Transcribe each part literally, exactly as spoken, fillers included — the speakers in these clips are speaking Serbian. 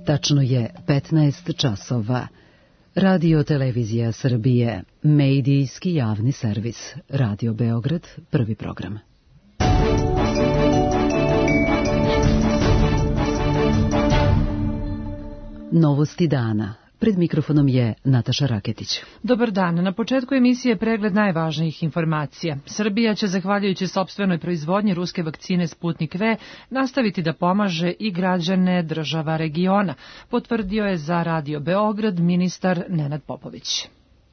Tačno je petnaest časova. Radio Televizija Srbije, medijski javni servis. Radio Beograd, prvi program. Novosti dana. Pred mikrofonom je Nataša Raketić. Dobar dan. Na početku emisije pregled najvažnijih informacija. Srbija će, zahvaljujući sopstvenoj proizvodnji ruske vakcine Sputnik V, nastaviti da pomaže i građane država regiona, potvrdio je za Radio Beograd ministar Nenad Popović.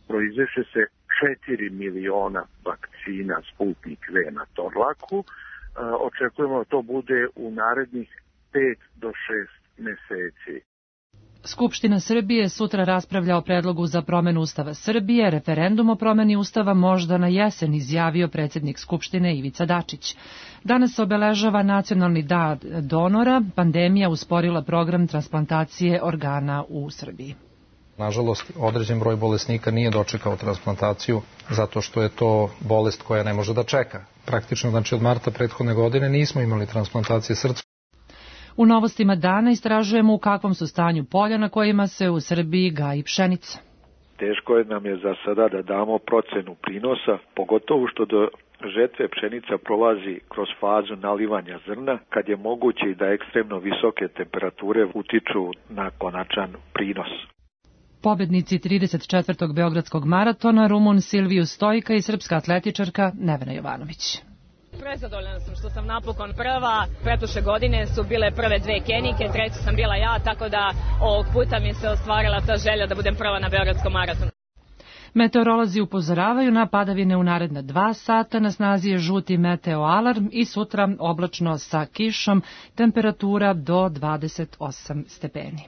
Proizveše se četiri miliona vakcina Sputnik V na Torlaku. Očekujemo da to bude u narednih pet do šest meseci. Skupština Srbije sutra raspravlja o predlogu za promenu Ustava Srbije. Referendum o promeni Ustava možda na jesen, izjavio predsjednik Skupštine Ivica Dačić. Danas se obeležava Nacionalni dan donora. Pandemija usporila program transplantacije organa u Srbiji. Nažalost, određen broj bolesnika nije dočekao transplantaciju zato što je to bolest koja ne može da čeka. Praktično, znači od marta prethodne godine nismo imali transplantacije srca. U novostima dana istražujemo u kakvom su stanju polja na kojima se u Srbiji gaji pšenica. Teško je nam je za sada da damo procenu prinosa, pogotovo što do žetve pšenica prolazi kroz fazu nalivanja zrna, kad je moguće i da ekstremno visoke temperature utiču na konačan prinos. Pobednici trideset četvrtog Beogradskog maratona, Rumun Silviju Stojka i srpska atletičarka Nevena Jovanović. Prezadovoljna sam što sam napokon prva. Pretprošle godine su bile prve dve Kenijke, treća sam bila ja, tako da ovog puta mi se ostvarila ta želja da budem prva na Beogradskom maratonu. Meteorolozi upozoravaju na padavine u naredna dva sata, na snazi je žuti meteo alarm i sutra oblačno sa kišom, temperatura do dvadeset osam stepeni.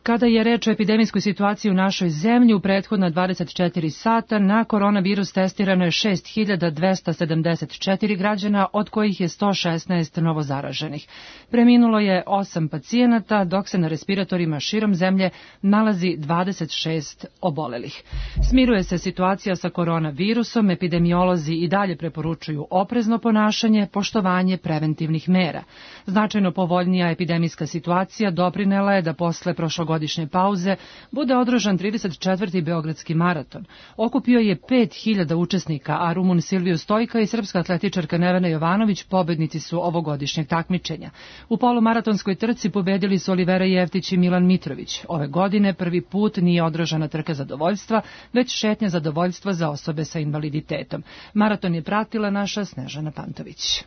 Kada je reč o epidemijskoj situaciji u našoj zemlji, u prethodna dvadeset četiri sata na koronavirus testirano je šest hiljada dvesta sedamdeset četiri građana, od kojih je sto šesnaest novozaraženih. Preminulo je osam pacijenata, dok se na respiratorima širom zemlje nalazi dvadeset šest obolelih. Smiruje se situacija sa koronavirusom, epidemiolozi i dalje preporučuju oprezno ponašanje, poštovanje preventivnih mera. Značajno povoljnija epidemijska situacija doprinela je da posle prošlogodišnje godišnje pauze bude održan trideset četvrti Beogradski maraton. Okupio je pet hiljada učesnika, a Rumun Silviju Stojka i srpska atletičarka Nevena Jovanović pobednici su ovogodišnjeg takmičenja. U polumaratonskoj trci pobedili su Olivera Jeftić i Milan Mitrović. Ove godine prvi put nije održana trka zadovoljstva, već šetnja zadovoljstva za osobe sa invaliditetom. Maraton je pratila naša Snežana Pantović.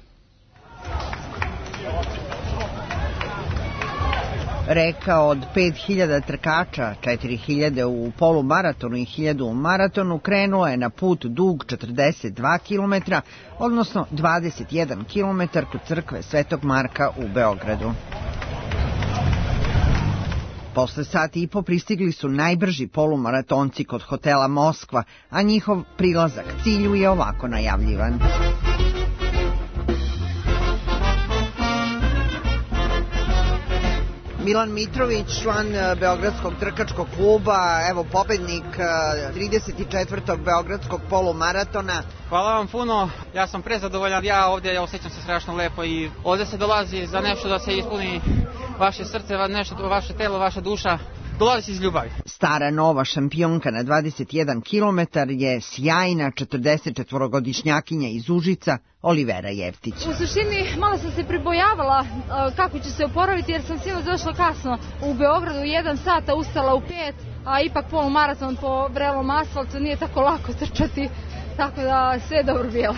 Reka od pet hiljada trkača, četiri hiljade u polumaratonu i hiljadu u maratonu, krenula je na put dug četrdeset dva kilometra, odnosno dvadeset jedan kilometar kod crkve Svetog Marka u Beogradu. Posle sati i po pristigli su najbrži polumaratonci kod hotela Moskva, a njihov prilazak cilju je ovako najavljivan. Milan Mitrović, član Beogradskog trkačkog kluba, evo pobednik trideset četvrtog Beogradskog polumaratona. Hvala vam puno, ja sam prezadovoljan, ja ovdje ja osjećam se strašno lepo i ovdje se dolazi za nešto da se ispuni vaše srce, nešto, vaše telo, vaša duša. Dolazi iz ljubavi. Stara nova šampionka na dvadeset jedan kilometar je sjajna četrdesetčetvorogodišnjakinja iz Užica, Olivera Jeftić. U suštini malo sam se pribojavala kako ću se oporaviti jer sam sinoć došla kasno u Beogradu u jedan sat, a ustala u pet, a ipak polumaraton po vrelom asfaltu nije tako lako trčati, tako da sve je dobro bilo.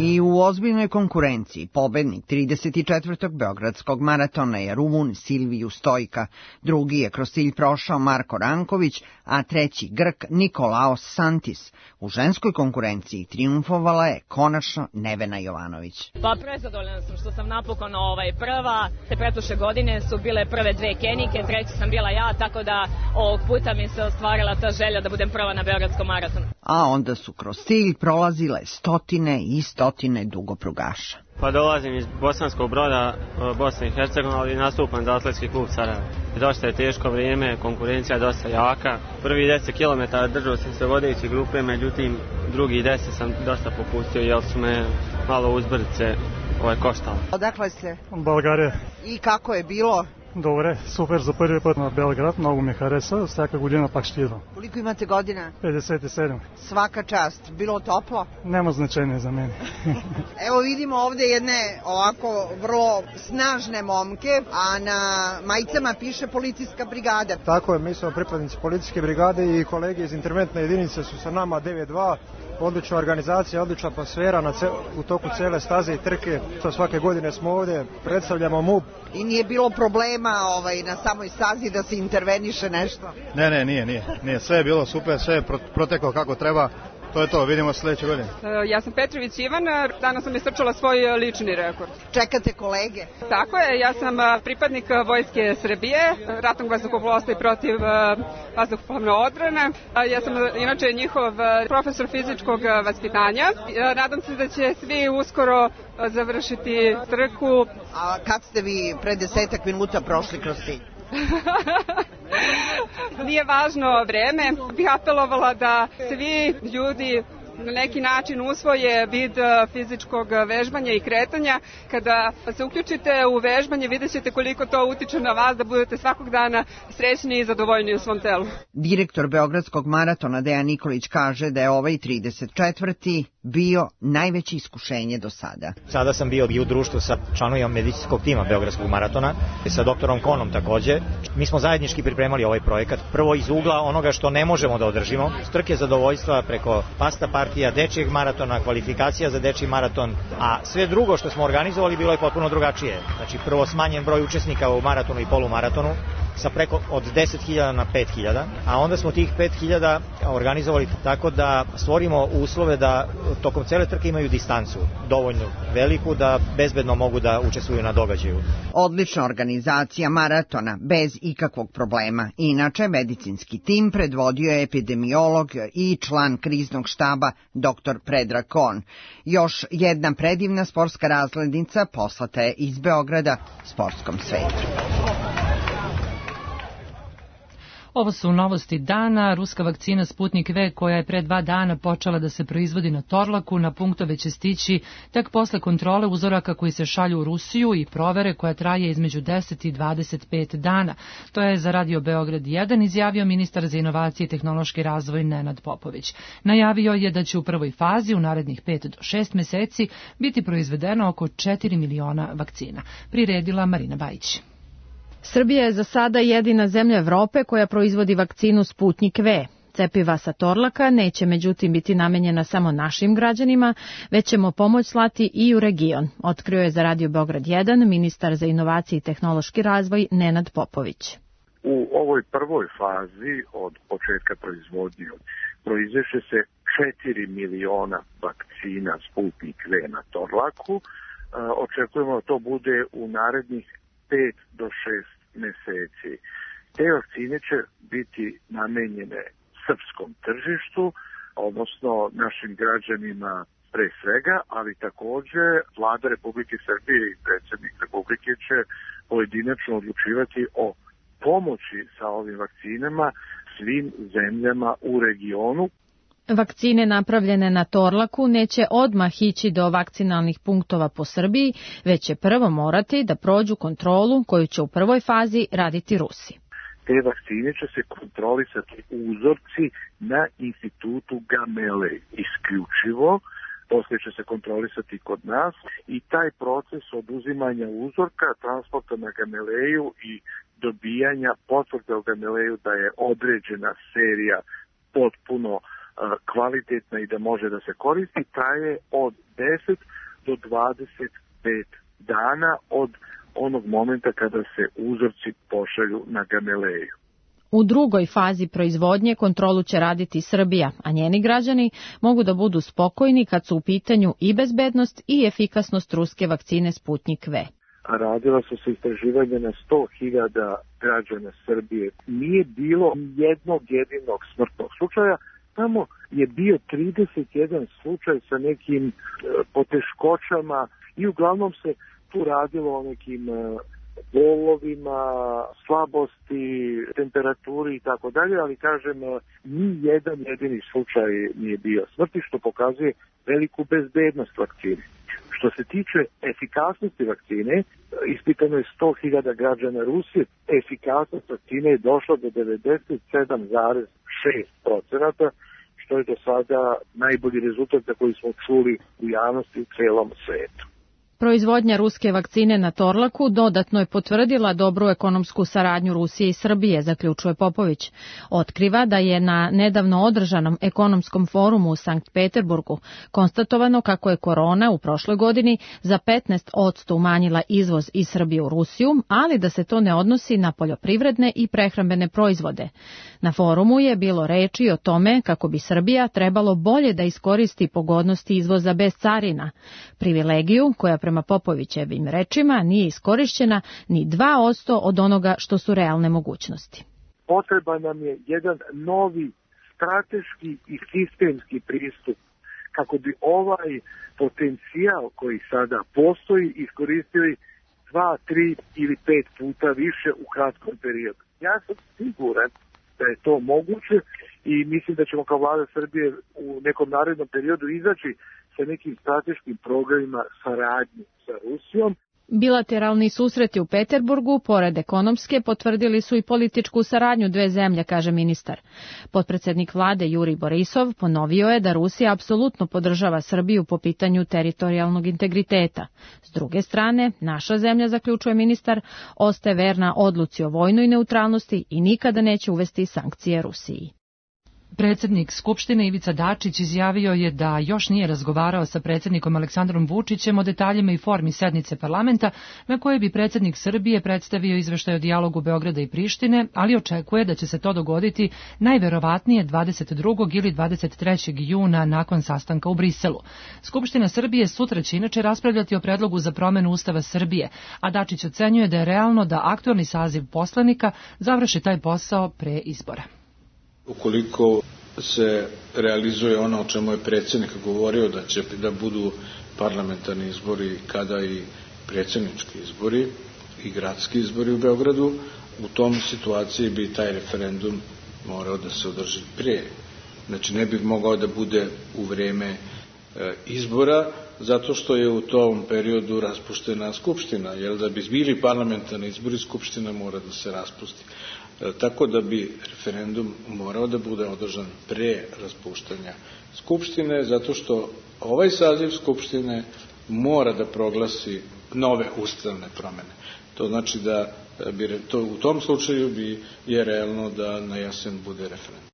I u ozbiljnoj konkurenciji pobednik trideset četvrtog Beogradskog maratona je Rumun Silviju Stojka, drugi je kroz cilj prošao Marko Ranković, a treći Grk Nikolaos Santis. U ženskoj konkurenciji triumfovala je konačno Nevena Jovanović. Pa prezadovoljna sam što sam napokon ovaj prva. Pretprošle godine su bile prve dve Kenijke, treća sam bila ja, tako da ovog puta mi se ostvarila ta želja da budem prva na Beogradskom maratonu. A onda su kroz cilj prolazile stotine i stotine dugoprugaša. Pa dolazim iz Bosanskog Broda, Bosne i Hercegovine, ali nastupam za atletski klub Sarajevo. Dosta je teško vrijeme, konkurencija je dosta jaka. Prvi deset kilometara držao sam se vodeći grupe, međutim drugi deset sam dosta popustio jer su me malo uzbrdice ovaj, koštalo. Odakle ste? България. I kako je bilo? Добре, супер за първи път на Белград, много ми хареса, всяка година пак ще идвам. Koliko imate godina? pedeset sedam. Svaka čast, bilo toplo? Nema značenja za mene. Evo vidimo ovde jedne ovako vrlo snažne momke, a na majicama piše policijska brigada. Tako je, mi smo pripadnici policijske brigade i kolege iz interventne jedinice su sa nama devet dva. Odlična organizacija, odlična atmosfera na ce, u toku cele staze i trke. Svake godine smo ovde, predstavljamo M U P. I nije bilo problema ovaj, na samoj stazi da se interveniše nešto? Ne, ne, nije, nije. nije. Sve je bilo super, sve je proteklo kako treba. To je to, vidimo sljedeće godine. Ja sam Petrović Ivan, danas sam istrčala svoj lični rekord. Čekate kolege? Tako je, ja sam pripadnik Vojske Srbije, ratnog vazduhoplovstva i protiv vazduhoplovne odbrane. Ja sam inače njihov profesor fizičkog vaspitanja. Nadam se da će svi uskoro završiti trku. A kad ste vi pre desetak minuta prošli kroz cilj? Nije važno vreme, bih apelovala da svi ljudi na neki način usvoje vid fizičkog vežbanja i kretanja. Kada se uključite u vežbanje, vidjet ćete koliko to utiče na vas da budete svakog dana srećni i zadovoljni u svom telu. Direktor Beogradskog maratona Dejan Nikolić kaže da je ovaj trideset četvrti bio najveće iskušenje do sada. Sada sam bio i u društvu sa članovima medicinskog tima Beogradskog maratona, sa doktorom Konom takođe. Mi smo zajednički pripremali ovaj projekat. Prvo iz ugla onoga što ne možemo da održimo, trke zadovoljstva preko pasta partija, dečijeg maratona, kvalifikacija za dečiji maraton, a sve drugo što smo organizovali bilo je potpuno drugačije. Znači prvo smanjen broj učesnika u maratonu i polumaratonu, sa preko od deset hiljada na pet hiljada, a onda smo tih pet hiljada organizovali tako da stvorimo uslove da tokom cele trke imaju distancu dovoljno veliku da bezbedno mogu da učestvuju na događaju. Odlična organizacija maratona bez ikakvog problema. Inače, medicinski tim predvodio je epidemiolog i član kriznog štaba doktor Predrag Kon. Još jedna predivna sportska razglednica poslata je iz Beograda sportskom svetu. Ovo su novosti dana. Ruska vakcina Sputnik V, koja je pre dva dana počela da se proizvodi na Torlaku, na punktove će stići tek posle kontrole uzoraka koji se šalju u Rusiju i provere koja traje između deset i dvadeset pet dana. To je za Radio Beograd jedan izjavio ministar za inovacije i tehnološki razvoj Nenad Popović. Najavio je da će u prvoj fazi u narednih pet do šest meseci biti proizvedeno oko četiri miliona vakcina. Priredila Marina Bajić. Srbija je za sada jedina zemlja Evrope koja proizvodi vakcinu Sputnik V. Cepiva sa Torlaka neće međutim biti namenjena samo našim građanima, već ćemo pomoć slati i u region, otkrio je za Radio Beograd jedan ministar za inovacije i tehnološki razvoj Nenad Popović. U ovoj prvoj fazi od početka proizvodnje proizveše se četiri miliona vakcina Sputnik V na Torlaku. Očekujemo da to bude u narednih pet do šest meseci. Te vakcine će biti namenjene srpskom tržištu, odnosno našim građanima pre svega, ali takođe Vlada Republike Srbije i predsjednik Republike će pojedinačno odlučivati o pomoći sa ovim vakcinama svim zemljama u regionu. Vakcine napravljene na Torlaku neće odmah ići do vakcinalnih punktova po Srbiji, već će prvo morati da prođu kontrolu koju će u prvoj fazi raditi Rusi. Te vakcine će se kontrolisati uzorci na institutu Gamilej isključivo, poslije će se kontrolisati kod nas i taj proces oduzimanja uzorka, transporta na Gamileju i dobijanja potvrde o Gamileju da je određena serija potpuno kvalitetna i da može da se koristi, traje od deset do dvadeset pet dana od onog momenta kada se uzorci pošalju na Gamileju. U drugoj fazi proizvodnje kontrolu će raditi Srbija, a njeni građani mogu da budu spokojni kad su u pitanju i bezbednost i efikasnost ruske vakcine Sputnik V. Radila su se istraživanja na sto hiljada građana Srbije. Nije bilo jednog jedinog smrtnog slučaja, samo je bio trideset jedan slučaj sa nekim poteškoćama i uglavnom se tu radilo o nekim bolovima, slabosti, temperaturi i tako dalje, ali kažem, ni jedan jedini slučaj nije bio smrti, što pokazuje veliku bezbednost vakcine. Što se tiče efikasnosti vakcine, ispitano je sto hiljada građana Rusije, efikasnost vakcine je došla do devedeset sedam zarez šest procenata, što je do sada najbolji rezultat za koji smo čuli u javnosti u celom svetu. Proizvodnja ruske vakcine na Torlaku dodatno je potvrdila dobru ekonomsku saradnju Rusije i Srbije, zaključuje Popović. Otkriva da je na nedavno održanom ekonomskom forumu u Sankt Peterburgu konstatovano kako je korona u prošloj godini za petnaest posto umanjila izvoz iz Srbije u Rusiju, ali da se to ne odnosi na poljoprivredne i prehrambene proizvode. Na forumu je bilo reči o tome kako bi Srbija trebalo bolje da iskoristi pogodnosti izvoza bez carina, privilegiju koja prema Popovićevim rečima nije iskorišćena ni dva posto od onoga što su realne mogućnosti. Potreba nam je jedan novi strateški i sistemski pristup kako bi ovaj potencijal koji sada postoji iskoristili dva, tri ili pet puta više u kratkom periodu. Ja sam siguran da je to moguće i mislim da ćemo kao vlada Srbije u nekom narednom periodu izaći sa nekim strateškim programima saradnje sa Rusijom. Bilateralni susreti u Peterburgu, pored ekonomske, potvrdili su i političku saradnju dve zemlje, kaže ministar. Potpredsednik vlade Jurij Borisov ponovio je da Rusija apsolutno podržava Srbiju po pitanju teritorijalnog integriteta. S druge strane, naša zemlja, zaključuje ministar, ostaje verna odluci o vojnoj neutralnosti i nikada neće uvesti sankcije Rusiji. Predsjednik Skupštine Ivica Dačić izjavio je da još nije razgovarao sa predsjednikom Aleksandrom Vučićem o detaljima i formi sednice parlamenta na kojoj bi predsjednik Srbije predstavio izveštaj o dijalogu Beograda i Prištine, ali očekuje da će se to dogoditi najverovatnije dvadeset drugog ili dvadeset trećeg juna nakon sastanka u Briselu. Skupština Srbije sutra će inače raspravljati o predlogu za promenu Ustava Srbije, a Dačić ocenjuje da je realno da aktualni saziv poslanika završi taj posao pre izbora. Ukoliko se realizuje ono o čemu je predsjednik govorio, da će da budu parlamentarni izbori kada i predsjednički izbori i gradski izbori u Beogradu, u tom situaciji bi taj referendum morao da se održi prije. Znači ne bi mogao da bude u vreme e, izbora, zato što je u tom periodu raspuštena Skupština, jer da bi bili parlamentarni izbori, Skupština mora da se raspusti. Tako da bi referendum morao da bude održan pre raspuštanja Skupštine, zato što ovaj saziv Skupštine mora da proglasi nove ustavne promene. To znači da bi to, u tom slučaju bi je realno da na jesen bude referendum.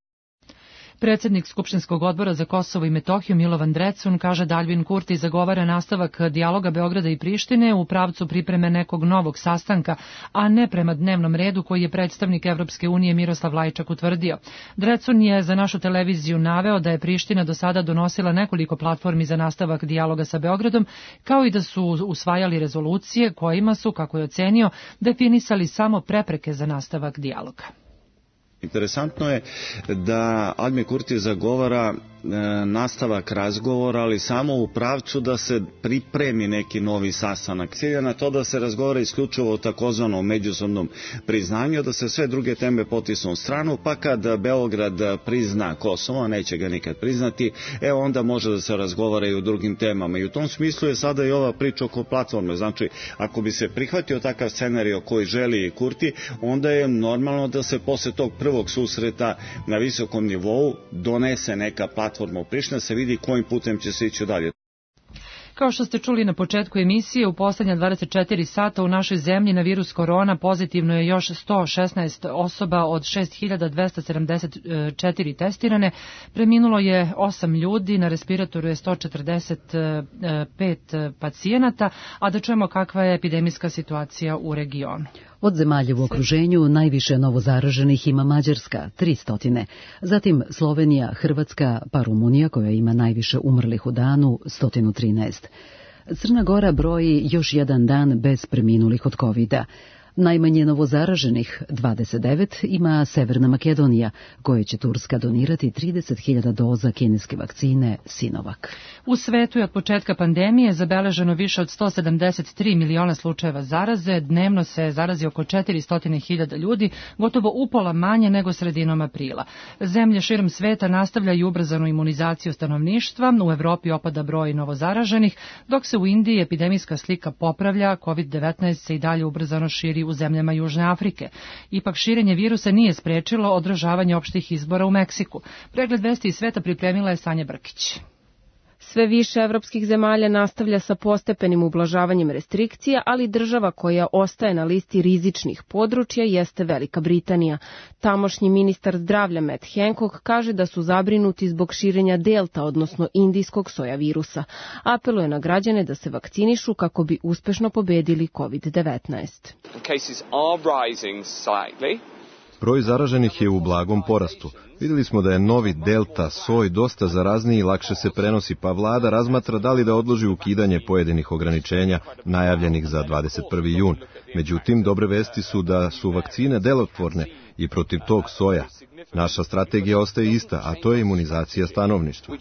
Predsjednik Skupštinskog odbora za Kosovo i Metohiju Milovan Drecun kaže da Aljbin Kurti zagovara nastavak dijaloga Beograda i Prištine u pravcu pripreme nekog novog sastanka, a ne prema dnevnom redu koji je predstavnik Evropske unije Miroslav Lajčak utvrdio. Drecun je za našu televiziju naveo da je Priština do sada donosila nekoliko platformi za nastavak dijaloga sa Beogradom, kao i da su usvajali rezolucije kojima su, kako je ocenio, definisali samo prepreke za nastavak dijaloga. Interesantno je da Aljbin Kurti zagovara e, nastavak razgovora, ali samo u pravcu da se pripremi neki novi sastanak. Cilja na to da se razgovara isključivo o takozvanom međusobnom priznanju, da se sve druge teme potisnu u stranu, pa kad Beograd prizna Kosovo, neće ga nikad priznati, e onda može da se razgovara i o drugim temama. I u tom smislu je sada i ova priča oko platforme. Znači, ako bi se prihvatio takav scenario koji želi Kurti, onda je normalno da se posle tog prvog susreta na visokom nivou donese neka platforma u Prištini, se vidi kojim putem će se ići dalje. Kao što ste čuli na početku emisije, u poslednja dvadeset četiri sata u našoj zemlji na virus korona pozitivno je još sto šesnaest osoba od šest hiljada dvesta sedamdeset četiri testirane. Preminulo je osam ljudi, na respiratoru je sto četrdeset pet pacijenata, a da čujemo kakva je epidemijska situacija u regionu. Od zemalja u okruženju najviše novozaraženih ima Mađarska, tristo, zatim Slovenija, Hrvatska, pa Rumunija koja ima najviše umrlih u danu, sto trinaest. Crna Gora broji još jedan dan bez preminulih od kovida, Najmanje novozaraženih, dvadeset devet, ima Severna Makedonija, koje će Turska donirati trideset hiljada doza kineske vakcine Sinovac. U svetu je od početka pandemije zabeleženo više od sto sedamdeset tri miliona slučajeva zaraze, dnevno se zarazi oko četiristo hiljada ljudi, gotovo upola manje nego sredinom aprila. Zemlje širom sveta nastavljaju ubrzanu imunizaciju stanovništva, u Evropi opada broj novozaraženih, dok se u Indiji epidemijska slika popravlja, kovid devetnaest se i dalje ubrzano širi u zemljama Južne Afrike. Ipak širenje virusa nije sprečilo održavanje opštih izbora u Meksiku. Pregled vesti iz sveta pripremila je Sanja Brkić. Sve više evropskih zemalja nastavlja sa postepenim ublažavanjem restrikcija, ali država koja ostaje na listi rizičnih područja jeste Velika Britanija. Tamošnji ministar zdravlja Matt Hancock kaže da su zabrinuti zbog širenja delta, odnosno indijskog soja virusa. Apeluje na građane da se vakcinišu kako bi uspešno pobedili kovid devetnaest. Broj zaraženih je u blagom porastu. Vidjeli smo da je novi delta soj dosta zarazniji i lakše se prenosi, pa vlada razmatra da li da odloži ukidanje pojedinih ograničenja najavljenih za dvadeset prvi jun. Međutim, dobre vesti su da su vakcine delotvorne i protiv tog soja. Naša strategija ostaje ista, a to je imunizacija stanovništva.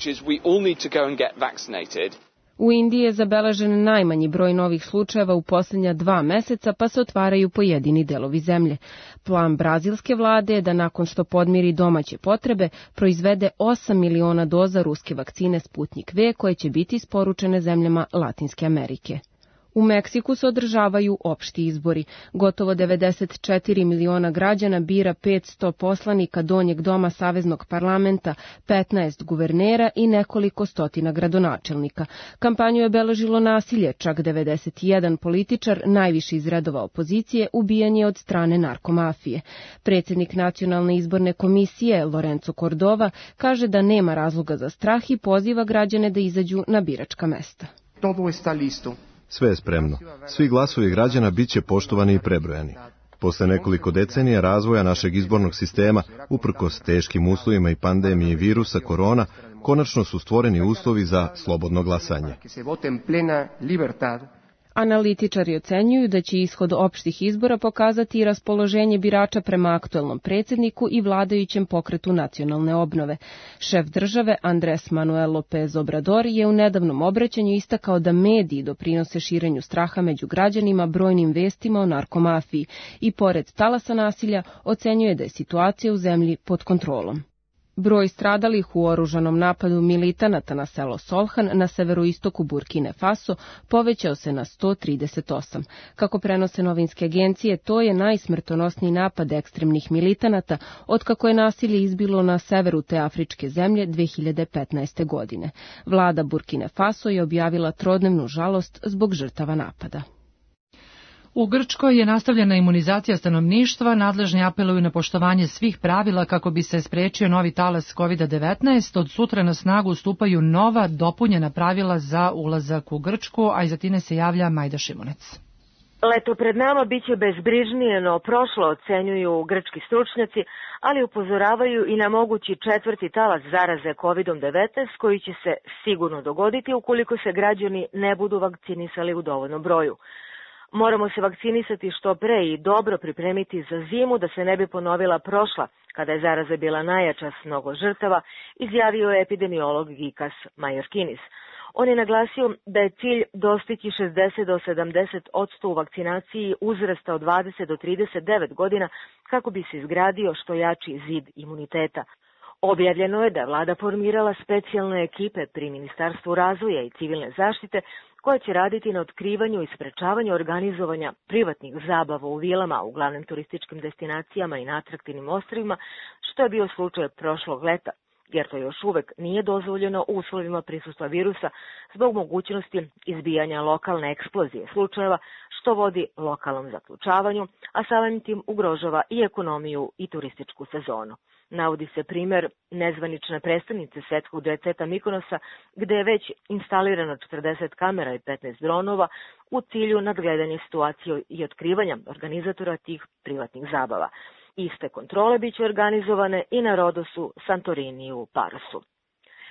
U Indiji je zabeležen najmanji broj novih slučajeva u posljednja dva meseca, pa se otvaraju pojedini delovi zemlje. Plan brazilske vlade je da nakon što podmiri domaće potrebe, proizvede osam miliona doza ruske vakcine Sputnik V koje će biti isporučene zemljama Latinske Amerike. U Meksiku se održavaju opšti izbori. Gotovo devedeset četiri miliona građana bira petsto poslanika Donjeg doma Saveznog parlamenta, petnaest guvernera i nekoliko stotina gradonačelnika. Kampanju je obeležilo nasilje, čak devedeset jedan političar, najviši iz redova opozicije, ubijan je od strane narkomafije. Predsjednik Nacionalne izborne komisije, Lorenzo Cordova, kaže da nema razloga za strah i poziva građane da izađu na biračka mesta. Todo está listo. Sve je spremno. Svi glasovi građana bit će poštovani i prebrojani. Posle nekoliko decenija razvoja našeg izbornog sistema, uprkos teškim uslovima i pandemiji virusa korona, konačno su stvoreni uslovi za slobodno glasanje. Analitičari ocenjuju da će ishod opštih izbora pokazati i raspoloženje birača prema aktuelnom predsjedniku i vladajućem pokretu nacionalne obnove. Šef države Andrés Manuel López Obrador je u nedavnom obraćanju istakao da mediji doprinose širenju straha među građanima brojnim vestima o narkomafiji i pored talasa nasilja ocenjuje da je situacija u zemlji pod kontrolom. Broj stradalih u oružanom napadu militanata na selo Solhan na severoistoku Burkine Faso povećao se na sto trideset osam. Kako prenose novinske agencije, to je najsmrtonosniji napad ekstremnih militanata otkako je nasilje izbilo na severu te afričke zemlje dve hiljade petnaeste. godine. Vlada Burkine Faso je objavila trodnevnu žalost zbog žrtava napada. U Grčkoj je nastavljena imunizacija stanovništva, nadležni apeluju na poštovanje svih pravila kako bi se sprečio novi talas kovid devetnaest. Od sutra na snagu stupaju nova dopunjena pravila za ulazak u Grčku, a iza tine se javlja Majda Šimunec. Leto pred nama biće bezbrižnije, no prošlo, ocenjuju grčki stručnjaci, ali upozoravaju i na mogući četvrti talas zaraze kovid devetnaest koji će se sigurno dogoditi ukoliko se građani ne budu vakcinisali u dovoljnom broju. Moramo se vakcinisati što pre i dobro pripremiti za zimu da se ne bi ponovila prošla, kada je zaraza bila najjača s mnogo žrtava, izjavio je epidemiolog Gikas Majorkinis. On je naglasio da je cilj dostići šezdeset do sedamdeset posto u vakcinaciji uzrasta od dvadeset do trideset devet godina kako bi se izgradio što jači zid imuniteta. Objavljeno je da je vlada formirala specijalne ekipe pri Ministarstvu razvoja i civilne zaštite koja će raditi na otkrivanju i sprečavanju organizovanja privatnih zabava u vilama u glavnim turističkim destinacijama i na atraktivnim ostrvima, što je bio slučaj prošlog leta, jer to još uvek nije dozvoljeno u uslovima prisustva virusa zbog mogućnosti izbijanja lokalne eksplozije slučajeva, što vodi lokalnom zaključavanju, a samim tim ugrožava i ekonomiju i turističku sezonu. Navodi se primjer nezvanične predstavnice svetskog džet-seta Mikonosa, gde je već instalirano četrdeset kamera i petnaest dronova u cilju nadgledanja situacije i otkrivanja organizatora tih privatnih zabava. Iste kontrole biće organizovane i na Rodosu, Santorini i u Parosu.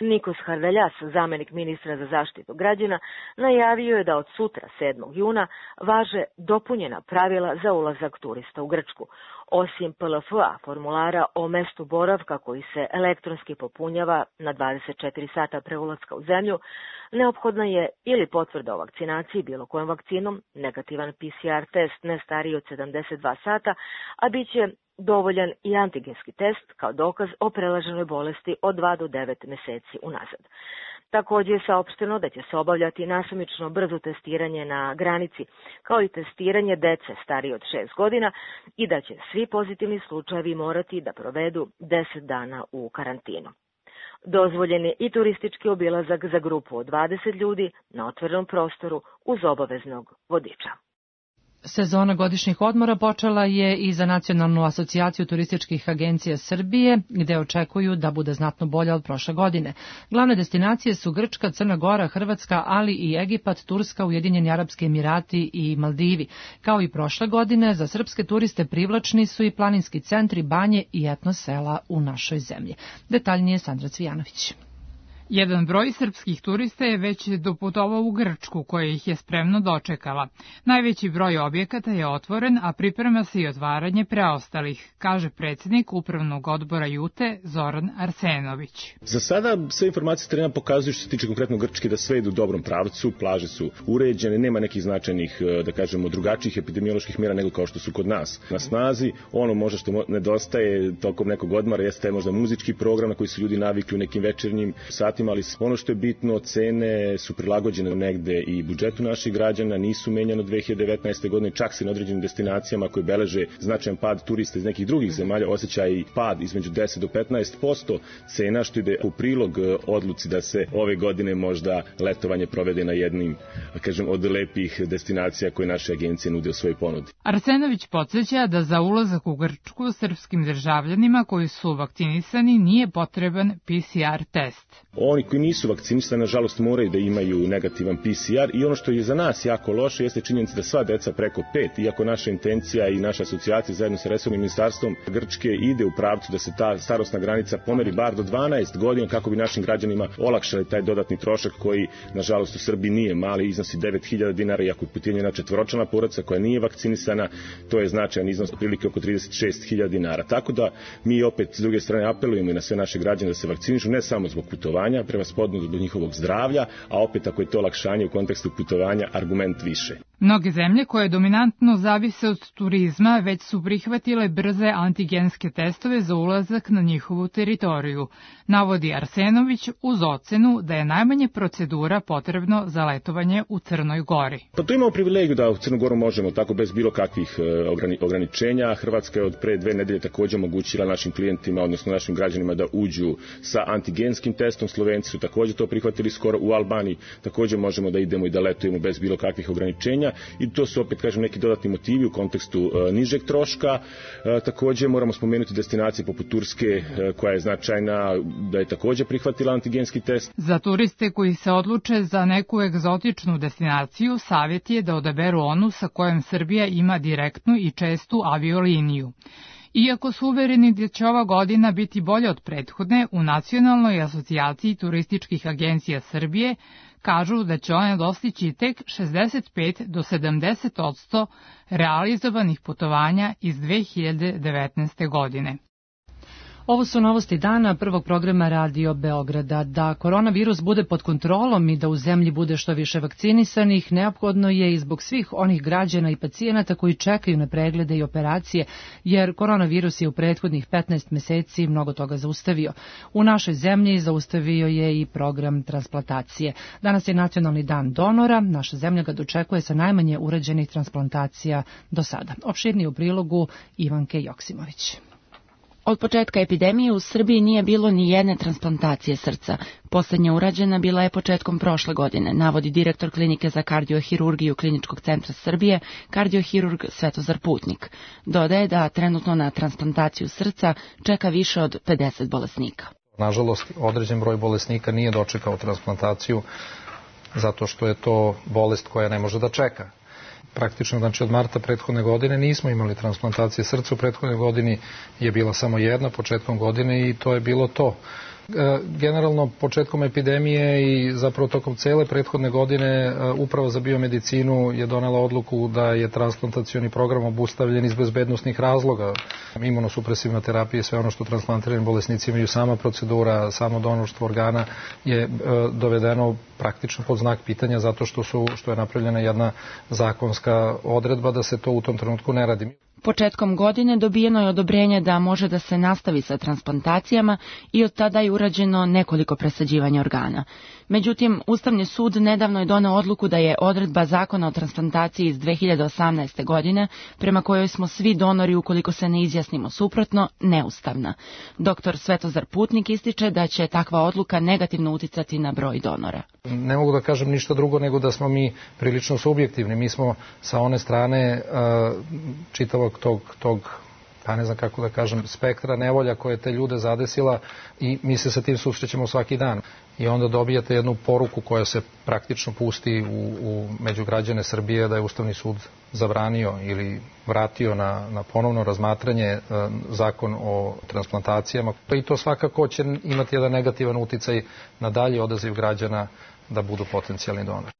Nikos Hardaljas, zamenik ministra za zaštitu građana, najavio je da od sutra, sedmog juna, važe dopunjena pravila za ulazak turista u Grčku. Osim P L F A, formulara o mestu boravka koji se elektronski popunjava na dvadeset četiri sata pre ulaska u zemlju, neophodna je ili potvrda o vakcinaciji bilo kojom vakcinom, negativan P C R test ne stariji od sedamdeset dva sata, a bit će dovoljan i antigenski test kao dokaz o prelaženoj bolesti od dva do devet meseci unazad. Takođe je saopšteno da će se obavljati nasumično brzo testiranje na granici, kao i testiranje dece starije od šest godina i da će svi pozitivni slučajevi morati da provedu deset dana u karantinu. Dozvoljen je i turistički obilazak za grupu od dvadeset ljudi na otvorenom prostoru uz obaveznog vodiča. Sezona godišnjih odmora počela je i za Nacionalnu asocijaciju turističkih agencija Srbije, gde očekuju da bude znatno bolja od prošle godine. Glavne destinacije su Grčka, Crna Gora, Hrvatska, ali i Egipat, Turska, Ujedinjeni Arapski Emirati i Maldivi. Kao i prošle godine, za srpske turiste privlačni su i planinski centri, banje i etno sela u našoj zemlji. Detaljnije Sandra Cvijanović. Jedan broj srpskih turista je već doputovao u Grčku, koja ih je spremno dočekala. Najveći broj objekata je otvoren, a priprema se i otvaranje preostalih, kaže predsjednik Upravnog odbora Jute Zoran Arsenović. Za sada sve informacije s terena pokazuju što se tiče konkretno Grčke da sve ide u dobrom pravcu, plaže su uređene, nema nekih značajnih, da kažemo, drugačijih epidemioloških mjera nego kao što su kod nas na snazi. Ono možda što nedostaje tokom nekog odmora jeste možda muzički program na koji su ljudi navikli u nekim večernjim satima, ali ono što je bitno, cene su prilagođene negde i budžetu naših građana, nisu menjane od dve hiljade devetnaeste. godine, čak se na određenim destinacijama koje beleže značajan pad turista iz nekih drugih zemalja osjeća i pad između deset do petnaest posto cena, što ide u prilog odluci da se ove godine možda letovanje provede na jednim, kažem, od lepih destinacija koje naše agencije nude u svojoj ponudi. Arsenović podsjeća da za ulazak u Grčku srpskim državljanima koji su vakcinisani nije potreban P C R test. Oni koji nisu vakcinisani, nažalost, moraju da imaju negativan P C R i ono što je za nas jako loše jeste činjenica da sva deca preko pet, iako naša intencija i naša asocijacija zajedno sa resornim ministarstvom Grčke ide u pravcu da se ta starosna granica pomeri bar do dvanaest godina kako bi našim građanima olakšali taj dodatni trošak koji, nažalost, u Srbiji nije mali, iznosi devet hiljada dinara, iako je pitanje jedna četvoročlana porodica koja nije vakcinisana, to je značajan iznos, prilike oko trideset šest hiljada dinara. Tako da mi opet s druge strane apelujemo i na sve naše građane da se vakcinišu, ne samo zbog putovanja, prema spodno zbog njihovog zdravlja, a opet ako je to olakšanje u kontekstu putovanja, argument više. Mnoge zemlje koje dominantno zavise od turizma već su prihvatile brze antigenske testove za ulazak na njihovu teritoriju, navodi Arsenović uz ocenu da je najmanje procedura potrebno za letovanje u Crnoj Gori. Pa tu imamo privilegiju da u Crnu Goru možemo tako bez bilo kakvih ograničenja. Hrvatska je od pre dve nedelje također omogućila našim klijentima, odnosno našim građanima da uđu sa antigenskim testom. Slovenci su također to prihvatili skoro. U Albaniji također možemo da idemo i da letujemo bez bilo kakvih ograničenja i to su opet, kažem, neki dodatni motivi u kontekstu e, nižeg troška. E, također moramo spomenuti destinacije poput Turske e, koja je značajna, da je također prihvatila antigenski test. Za turiste koji se odluče za neku egzotičnu destinaciju, savjet je da odaberu onu sa kojom Srbija ima direktnu i čestu avioliniju. Iako su uvereni da će ova godina biti bolja od prethodne, u Nacionalnoj asocijaciji turističkih agencija Srbije kažu da će one dostići tek šezdeset pet do sedamdeset posto realizovanih putovanja iz dve hiljade devetnaeste. godine. Ovo su novosti dana prvog programa Radio Beograda. Da koronavirus bude pod kontrolom i da u zemlji bude što više vakcinisanih, neophodno je i zbog svih onih građana i pacijenata koji čekaju na preglede i operacije, jer koronavirus je u prethodnih petnaest meseci mnogo toga zaustavio. U našoj zemlji zaustavio je i program transplantacije. Danas je Nacionalni dan donora, naša zemlja ga dočekuje sa najmanje urađenih transplantacija do sada. Opširnije u prilogu Ivanke Joksimović. Od početka epidemije u Srbiji nije bilo ni jedne transplantacije srca. Poslednja urađena bila je početkom prošle godine, navodi direktor klinike za kardiohirurgiju Kliničkog centra Srbije, kardiohirurg Svetozar Putnik. Dodaje da trenutno na transplantaciju srca čeka više od pedeset bolesnika. Nažalost, određen broj bolesnika nije dočekao transplantaciju zato što je to bolest koja ne može da čeka. Praktično, znači od marta prethodne godine nismo imali transplantacije srca, u prethodnoj godini je bila samo jedna početkom godine i to je bilo to. Generalno, početkom epidemije i zapravo tokom cele prethodne godine Uprava za biomedicinu je donela odluku da je transplantacioni program obustavljen iz bezbednosnih razloga. Imunosupresivna terapija i sve ono što transplantirani bolesnici imaju, sama procedura, samo donorstvo organa je dovedeno praktično pod znak pitanja zato što, su, što je napravljena jedna zakonska odredba da se to u tom trenutku ne radi. Početkom godine dobijeno je odobrenje da može da se nastavi sa transplantacijama i od tada je urađeno nekoliko presađivanja organa. Međutim, Ustavni sud nedavno je doneo odluku da je odredba Zakona o transplantaciji iz dve hiljade osamnaeste. godine, prema kojoj smo svi donori ukoliko se ne izjasnimo suprotno, neustavna. Doktor Svetozar Putnik ističe da će takva odluka negativno uticati na broj donora. Ne mogu da kažem ništa drugo nego da smo mi prilično subjektivni. Mi smo sa one strane čitavog tog, tog pa ne znam kako da kažem, spektra nevolja koje te ljude zadesila i mi se sa tim susrećemo svaki dan. I onda dobijate jednu poruku koja se praktično pusti u, u među građane Srbije da je Ustavni sud zabranio ili vratio na, na ponovno razmatranje e, zakon o transplantacijama. I to svakako će imati jedan negativan uticaj na dalji odaziv građana da budu potencijalni donori.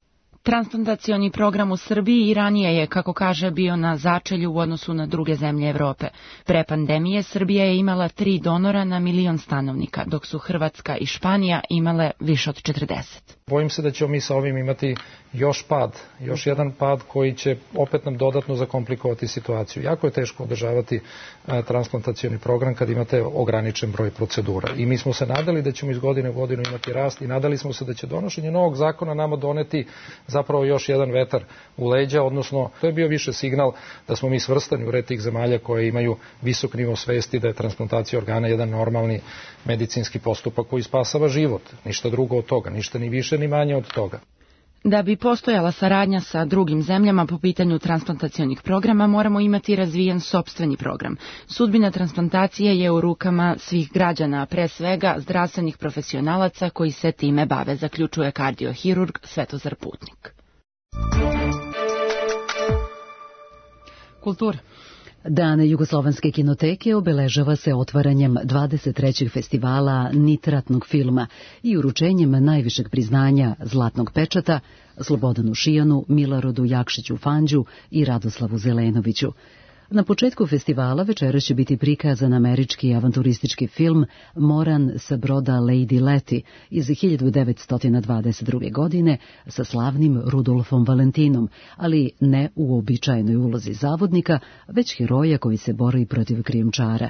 Transplantacioni program u Srbiji i ranije je, kako kaže, bio na začelju u odnosu na druge zemlje Evrope. Pre pandemije Srbija je imala tri donora na milion stanovnika, dok su Hrvatska i Španija imale više od četrdeset. Bojim se da ćemo mi sa ovim imati još pad, još jedan pad koji će opet nam dodatno zakomplikovati situaciju. Jako je teško održavati e, transplantacioni program kad imate ograničen broj procedura. I mi smo se nadali da ćemo iz godine u godinu imati rast i nadali smo se da će donošenje novog zakona nama doneti zapravo još jedan vetar u leđa, odnosno to je bio više signal da smo mi svrstani u red tih zemalja koje imaju visok nivo svesti da je transplantacija organa jedan normalni medicinski postupak koji spasava život. Ništa drugo od toga, ništa ni više ni manje od toga. Da bi postojala saradnja sa drugim zemljama po pitanju transplantacionih programa, moramo imati razvijen sopstveni program. Sudbina transplantacije je u rukama svih građana, pre svega zdravstvenih profesionalaca koji se time bave, zaključuje kardiohirurg Svetozar Putnik. Kultura. Dan Jugoslovenske kinoteke obeležava se otvaranjem dvadeset trećeg festivala nitratnog filma i uručenjem najvišeg priznanja Zlatnog pečata Slobodanu Šijanu, Milarodu Jakšiću Fanđu i Radoslavu Zelenoviću. Na početku festivala večeras će biti prikazan američki avanturistički film Moran sa broda Lady Letty iz hiljadu devetsto dvadeset druge. godine sa slavnim Rudolfom Valentinom, ali ne u uobičajenoj ulozi zavodnika, već heroja koji se bori protiv krijumčara.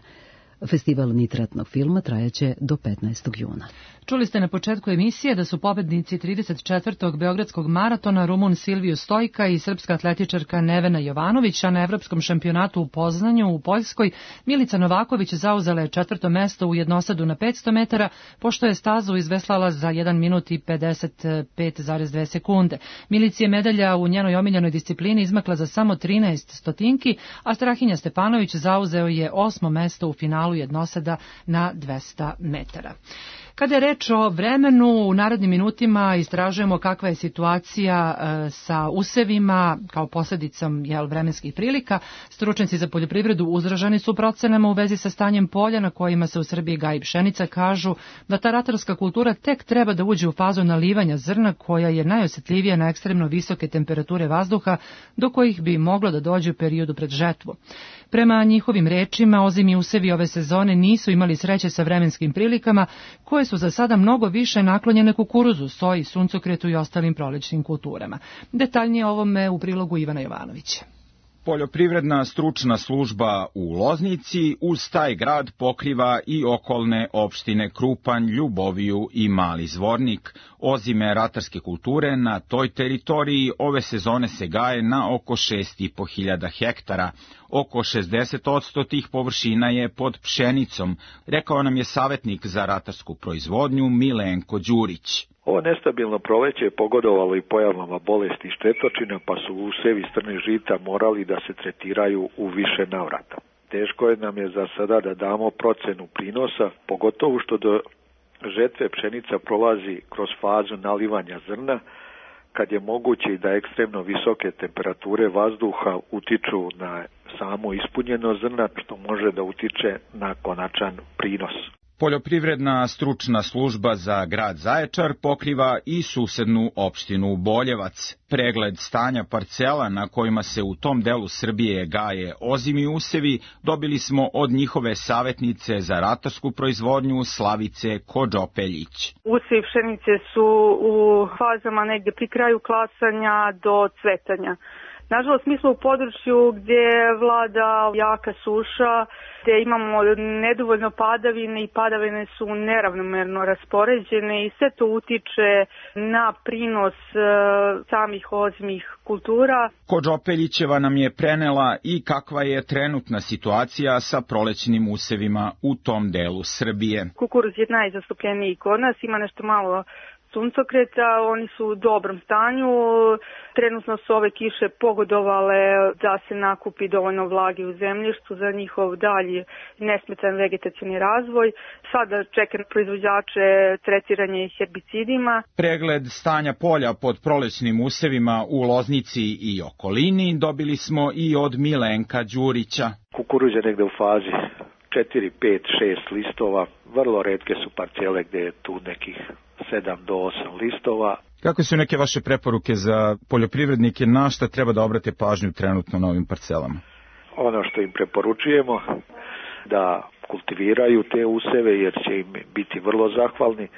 Festival nitratnog filma trajaće do petnaestog juna. Čuli ste na početku emisije da su pobednici trideset četvrtog Beogradskog maratona Rumun Silviju Stojka i srpska atletičarka Nevena Jovanović, a na evropskom šampionatu u Poznanju u Poljskoj Milica Novaković zauzela je četvrto mesto u jednosadu na petsto metara, pošto je stazu izveslala za jedan minut i pedeset pet zarez dve sekunde. Milici je medalja u njenoj omiljenoj disciplini izmakla za samo trinaest stotinki, a Strahinja Stepanović zauzeo je osmo mesto u finalu jednosada na dvesta metara. Kada je reč o vremenu, u narednim minutima istražujemo kakva je situacija e, sa usevima kao posljedicom jel, vremenskih prilika. Stručnjaci za poljoprivredu uzraženi su procenama u vezi sa stanjem polja na kojima se u Srbiji gaji pšenica, kažu da ta ratarska kultura tek treba da uđe u fazu nalivanja zrna koja je najosjetljivija na ekstremno visoke temperature vazduha do kojih bi moglo da dođe u periodu pred žetvu. Prema njihovim rečima, ozimi usevi ove sezone nisu imali sreće sa vremenskim prilikama koje su za sada mnogo više naklonjene kukuruzu, soji, suncokretu i ostalim prolećnim kulturama. Detaljnije ovome u prilogu Ivana Jovanovića. Poljoprivredna stručna služba u Loznici uz taj grad pokriva i okolne opštine Krupanj, Ljuboviju i Mali Zvornik. Ozime ratarske kulture na toj teritoriji ove sezone se gaje na oko šest i po hiljada hektara. Oko šezdeset posto tih površina je pod pšenicom, rekao nam je savjetnik za ratarsku proizvodnju Milenko Đurić. Ovo nestabilno proleće je pogodovalo i pojavama bolesti i štetočina, pa su usevi strne žita morali da se tretiraju u više navrata. Teško je nam je za sada da damo procenu prinosa, pogotovo što do žetve pšenica prolazi kroz fazu nalivanja zrna, kad je moguće i da ekstremno visoke temperature vazduha utiču na samo ispunjeno zrna, što može da utiče na konačan prinos. Poljoprivredna stručna služba za grad Zaječar pokriva i susednu opštinu Boljevac. Pregled stanja parcela na kojima se u tom delu Srbije gaje ozimi usevi dobili smo od njihove savjetnice za ratarsku proizvodnju Slavice Kodžopeljić. Usevi pšenice su u fazama negde pri kraju klasanja do cvetanja. Nažalost, mi smo u području gdje vlada jaka suša, gdje imamo nedovoljno padavine i padavine su neravnomerno raspoređene i sve to utiče na prinos e, samih ozimih kultura. Kodžopeljićeva nam je prenela i kakva je trenutna situacija sa prolećnim usevima u tom delu Srbije. Kukuruz je najzastupljeniji kod nas, ima nešto malo suncokreta, oni su u dobrom stanju, trenutno su ove kiše pogodovale da se nakupi dovoljno vlage u zemljištu za njihov dalji nesmetan vegetacioni razvoj. Sada čeka na proizvođače tretiranje herbicidima. Pregled stanja polja pod prolećnim usevima u Loznici i okolini dobili smo i od Milenka Đurića. Kukuruz je negde u fazi četiri, pet, šest listova, vrlo retke su parcele gde je tu nekih sedam do osam listova. Kakve su neke vaše preporuke za poljoprivrednike, na šta treba da obrate pažnju trenutno na ovim parcelama? Ono što im preporučujemo da kultiviraju te useve jer će im biti vrlo zahvalni.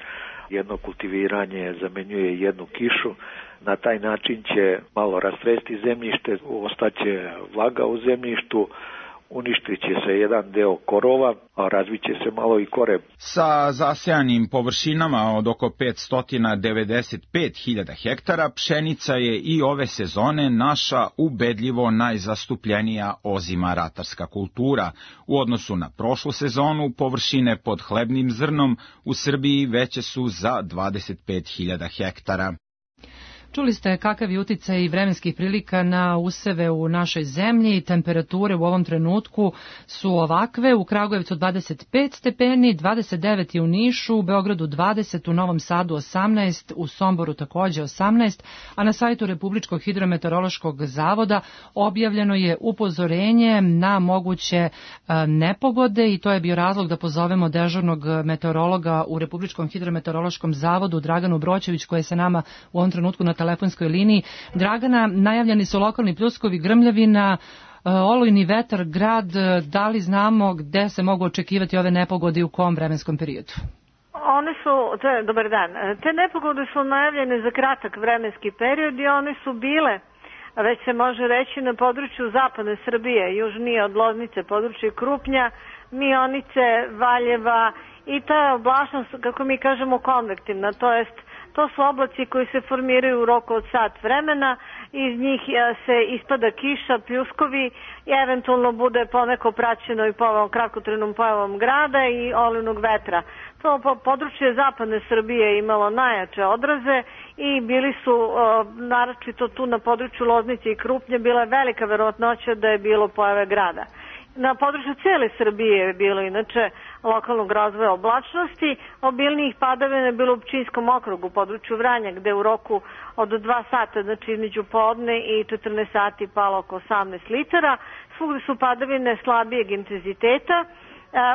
Jedno kultiviranje zamenjuje jednu kišu. Na taj način će malo rastresti zemljište, ostaće vlaga u zemljištu, uništit će se jedan deo korova, a razvit će se malo i koreb. Sa zasejanim površinama od oko petsto devedeset pet hiljada hektara, pšenica je i ove sezone naša ubedljivo najzastupljenija ozima ratarska kultura. U odnosu na prošlu sezonu, površine pod hlebnim zrnom u Srbiji veće su za dvadeset pet hiljada hektara. Čuli ste kakav je uticaj vremenskih prilika na useve u našoj zemlji. Temperature u ovom trenutku su ovakve: u Kragujevcu dvadeset pet stepeni, dvadeset devet u Nišu, u Beogradu dvadeset, u Novom Sadu osamnaest, u Somboru takođe osamnaest, a na sajtu Republičkog hidrometeorološkog zavoda objavljeno je upozorenje na moguće nepogode i to je bio razlog da pozovemo dežurnog meteorologa u Republičkom hidrometeorološkom zavodu Draganu Broćević, koja je sa nama u ovom trenutku na telefonskoj liniji. Dragana, najavljeni su lokalni pljuskovi, grmljavina, olujni vetar, grad. Da li znamo gde se mogu očekivati ove nepogode i u kom vremenskom periodu? One su, to je, dobar dan, te nepogode su najavljene za kratak vremenski period i one su bile, već se može reći, na području zapadne Srbije, južnije od Loznice, područje Krupnja, Mionice, Valjeva, i ta je oblačnost, kako mi kažemo, konvektivna, to jest to su oblaci koji se formiraju u roku od sat vremena, iz njih se ispada kiša, pljuskovi i eventualno bude poneko praćeno i pojavom, kratkotrenom pojavom grada i olujnog vetra. To područje zapadne Srbije je imalo najjače odraze i bili su, naročito tu na području Loznice i Krupnje, bila je velika verovatnoća da je bilo pojave grada. Na području cele Srbije je bilo inače lokalnog razvoja oblačnosti, obilnijih padavina je bilo u Pčinjskom okrugu, u području Vranja, gde u roku od dva sata, znači između podne i četrnaest sati, palo oko osamnaest litara. Svugde su padavine slabijeg intenziteta.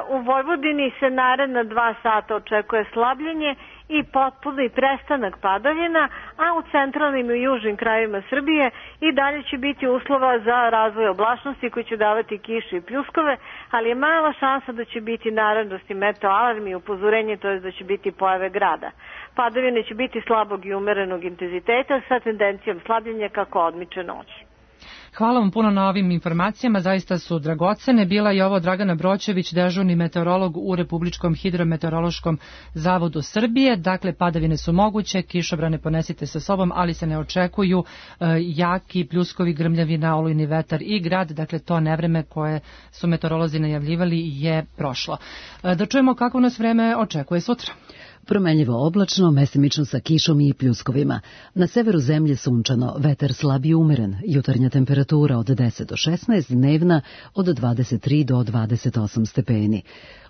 U Vojvodini se naredna dva sata očekuje slabljenje i potpuni prestanak padavina, a u centralnim i južnim krajevima Srbije i dalje će biti uslova za razvoj oblačnosti koji će davati kiše i pljuskove, ali je mala šansa da će biti narednosti meteoalarm i upozorenje, to je da će biti pojave grada. Padavine će biti slabog i umerenog intenziteta sa tendencijom slabljenja kako odmiče noć. Hvala vam puno na ovim informacijama, zaista su dragocene. Bila je ovo Dragana Broćević, dežurni meteorolog u Republičkom hidrometeorološkom zavodu Srbije. Dakle, padavine su moguće, kišobrane ponesite sa sobom, ali se ne očekuju e, jaki pljuskovi, grmljavina, olujni vetar i grad. Dakle, to nevreme koje su meteorolozi najavljivali je prošlo. E, da čujemo kako nas vreme očekuje sutra. Promenljivo oblačno, mesimično sa kišom i pljuskovima. Na severu zemlje sunčano, vetar slab i umeren, jutarnja temperatura od deset do šesnaest, dnevna od dvadeset tri do dvadeset osam stepeni.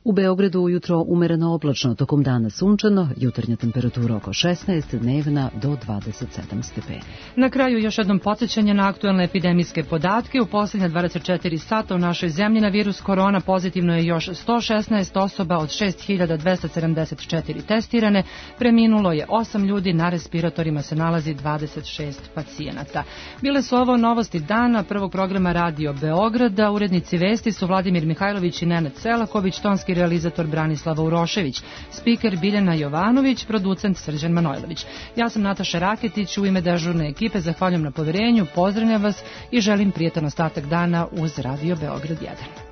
U Beogradu ujutro umereno oblačno, tokom dana sunčano, jutarnja temperatura oko šesnaest, dnevna do dvadeset sedam stepeni. Na kraju još jednom podsjećanje na aktuelne epidemijske podatke. U posljednja dvadeset četiri sata u našoj zemlji na virus korona pozitivno je još sto šesnaest osoba od šest hiljada dvesta sedamdeset četiri testirane. Preminulo je osam ljudi, na respiratorima se nalazi dvadeset šest pacijenata. Bile su ovo novosti dana prvog programa Radio Beograda. Urednici vesti su Vladimir Mihajlović i Nenad Selaković, tonski realizator Branislava Urošević, spiker Biljana Jovanović, producent Srđan Manojlović. Ja sam Nataša Raketić, u ime dežurne ekipe zahvaljujem na poverenju, pozdravljam vas i želim prijetan ostatak dana uz Radio Beograd jedan.